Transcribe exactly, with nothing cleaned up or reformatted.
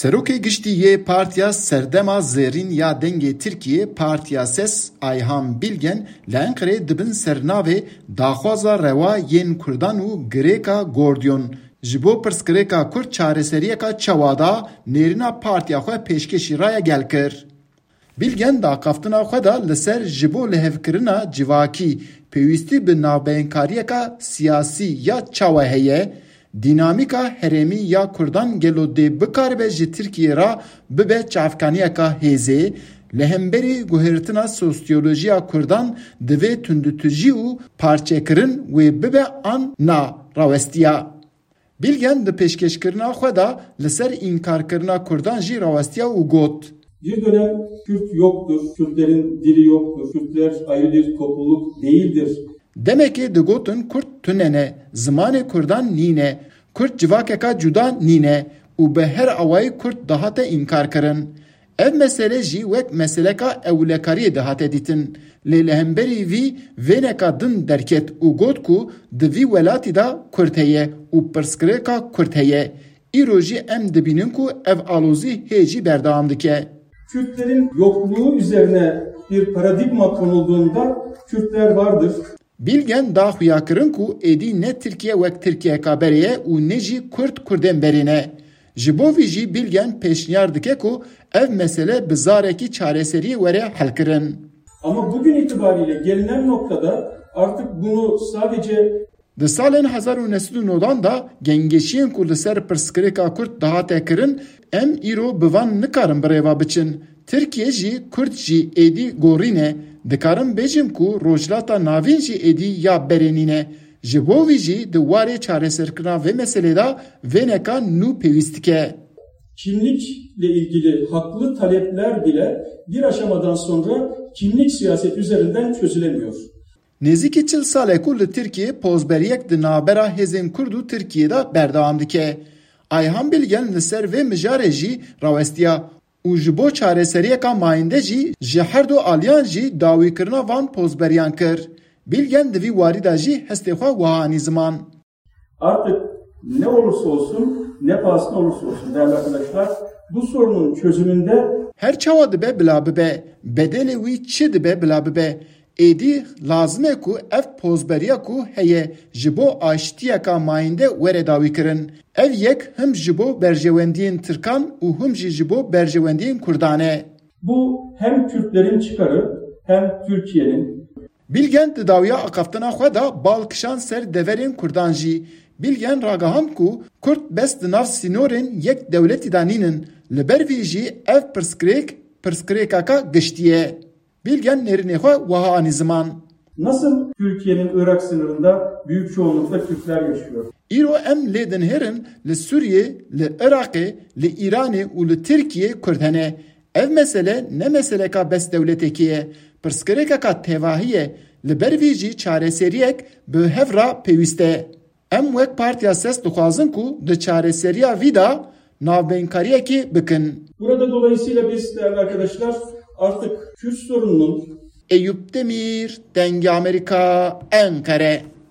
Serokê Giştî yê Partiya Serdema Zêrîn ya Dengê Tirkiyê, Partiya Ses, Ayhan Bilgen, li Enqerê di bin sernavê daxwaza rewa yên Kurdan û girêka Gordyon ji bo pirsgirêka Kurd çareseriyeka çawa da nêrîna partiya xwe pêşkêşî raya gel kir. Bilgen di axaftina xwe de li ser ji bo lihevkirina civakî pêwîstî bi navbeyinkariyeka siyasî ya çawa heye, dînamîka herêmî ya Kurdan gelo dê bikaribe ji Tirkiyê re bibe çavkaniyeka hêzê, li hemberî guhertina sosyolojiya Kurdan divê tundutujî û parçekirin wê bibe an na rawestiya. Bilgen di pêşkêşkirina xwe de li ser înkarkirina Kurdan jî rawestiya û got. Bir dönem Kürt yoktur, Kürtlerin dili yoktur, Kürtler ayrı bir topluluk değildir. Demekê digotin Kurd tune ne, zimanê Kurdan nîne, Kurd civakeka cuda nîne û bi her awayî Kurd dihate înkarkirin. Ev mesele jî wek meseleka ewlekariyê dihate dîtin. Lê li hemberî vî vêneka din derket û got ku di vî welatî de Kurd heye û pirsgirêka Kurd heye. Îro jî em dibînin ku ev alozî hê jî berdewam dike. Kürtlerin yokluğu üzerine bir paradigma konulduğunda Kürtler vardır. Bilgen da xuyakirin ku êdî ne Tirkiye wek Tirkiyeka berê ye û ne jî Kurd Kurdên berê ne. Ji bo vî jî Bilgen pêşniyar dike ku ev mesele bi zarekî çareseriyê were helkirin. Ama bugün itibariyle gelinen noktada artık bunu sadece Di salên hezar û neh sed û nodan de gengeşiyên ku li ser pirsgirêka Kurd dihate kirin, em îro bi van nikarin bi rê ve biçin. Tirkiye jî, Kurd jî êdî gorî ne. Dikarim bêjim ku Rojhilata Navîn jî êdî ya berê nîne. Ji bo vî jî di warê çareserkirina vê meselê de vêneka nû pêwîst dike. Kimlikle ilgili haklı talepler bile bir aşamadan sonra kimlik siyaseti üzerinden çözülemiyor. Nêzîkî çil sal e ku li Tirkiyê pozberiyek di navbera hêzên Kurd û Tirkiyê de berdewam dike. Ayhan Bilgen li ser vê mijarê jî rawestiya û ji bo çareseriyeka mayînde jî ji her du aliyan jî dawîkirina van pozberiyan kir. Bilgen di vî warî de jî hestê xwe wiha anî ziman. Artık ne olursa olsun, ne pahasına olursa olsun değerli arkadaşlar, bu sorunun çözümünde Her çawa dibe bila bibe, bedelê wî çi dibe bila bibe, êdî lazim e ku ev pozberiya ku heye ji bo aştiyeka mayînde were dawîkirin. Ev yek him ji bo berjewendiyên Tirkan û him jî ji bo berjewendiyên Kurdan e. Bu hem Kürtlerin çıkarı hem Türkiye'nin Bilgen di dawiya axaftina xwe de bal kişand ser deverên Kurdan jî. Bilgen ragihand ku Kurd bes di nav sînorên yek dewletî de nînin. Li ber vî jî ev pirsgirêk, pirsgirêkeka giştî ye. Bilgen nêrînê xwe wiha anî ziman. Nasıl Türkiye'nin Irak sınırında büyük çoğunlukta Kürtler yaşıyor? Îro em lê dinihêrin li Sûriyê, li Iraqê, li Îranê û li Tirkiyê Kurd hene. Ev mesele ne meseleka bes dewletekê ye. Pirsgirêkeka tevahî ye. Li ber vî jî çareseriyek bi hev re pêwîst e. Em wek Partiya Ses dixwazin ku di çareseriya vî de navbeyinkariyekê bikin. Burada dolayısıyla biz değerli arkadaşlar artık Kürt sorununun Eyüp Demir, Dengê Amerîka, Enqere.